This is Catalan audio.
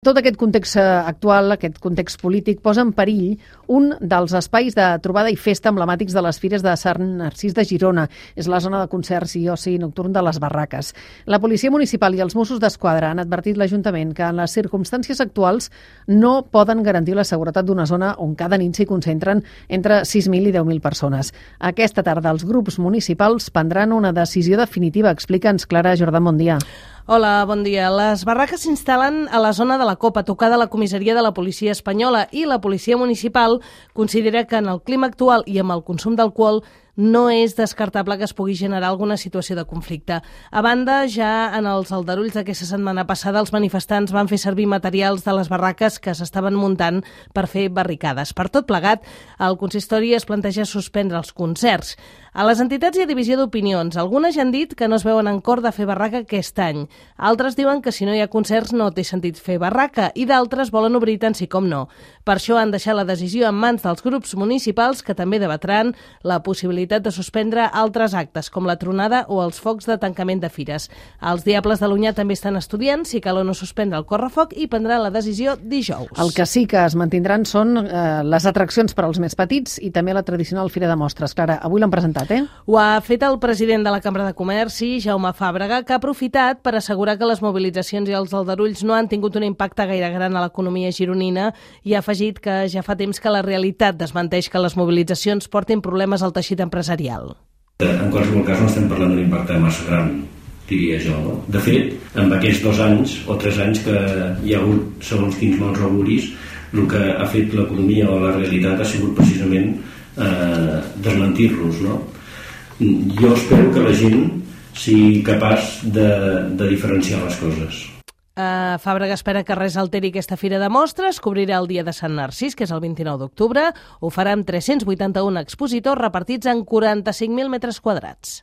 Tot aquest context actual, aquest context polític, posa en perill un dels espais de trobada i festa emblemàtics de les fires de Sant Narcís de Girona. És la zona de concerts i oci nocturn de les Barraques. La Policia Municipal i els Mossos d'Esquadra han advertit l'Ajuntament que en les circumstàncies actuals no poden garantir la seguretat d'una zona on cada nit s'hi concentren entre 6.000 i 10.000 persones. Aquesta tarda els grups municipals prendran una decisió definitiva. Explica'ns, Clara Jordà, bon dia. Hola, bon dia. Les barraques s'instal·len a la zona de la Copa, tocada a la comissaria de la policia espanyola, i la policia municipal considera que en el clima actual i amb el consum d'alcohol no és descartable que es pugui generar alguna situació de conflicte. A banda, ja en els aldarulls d'aquesta setmana passada, els manifestants van fer servir materials de les barraques que s'estaven muntant per fer barricades. Per tot plegat, el consistori es planteja suspendre els concerts. A les entitats hi ha divisió d'opinions. Algunes ja han dit que no es veuen en cor de fer barraca aquest any. Altres diuen que si no hi ha concerts no té sentit fer barraca i d'altres volen obrir tant sí com no. Per això han deixat la decisió en mans dels grups municipals que també debatran la possibilitat de suspendre altres actes com la tronada o els focs de tancament de fires. Els Diables de l'Onyar també estan estudiant si cal o no suspendre el correfoc i prendran la decisió dijous. El que sí que es mantindran són les atraccions per als més petits i també la tradicional Fira de Mostres. Clara, avui l'han presentat. Ho ha fet el president de la Cambra de Comerç, Jaume Fàbrega, que ha aprofitat per assegurar que les mobilitzacions i els aldarulls no han tingut un impacte gaire gran a l'economia gironina i ha afegit que ja fa temps que la realitat desmenteix que les mobilitzacions portin problemes al teixit empresarial. En qualsevol cas no estem parlant d'un impacte massa gran, diria jo. No? De fet, en aquests 2 anys o 3 anys que hi ha hagut, segons quins mals auguris, el que ha fet l'economia o la realitat ha sigut precisament desmentir-los, no? Jo espero que la gent sigui capaç de diferenciar les coses. Fàbrega espera que res alteri aquesta fira de mostres, cobrirà el dia de Sant Narcís, que és el 29 d'octubre, ho farà amb 381 expositors repartits en 45.000 metres quadrats.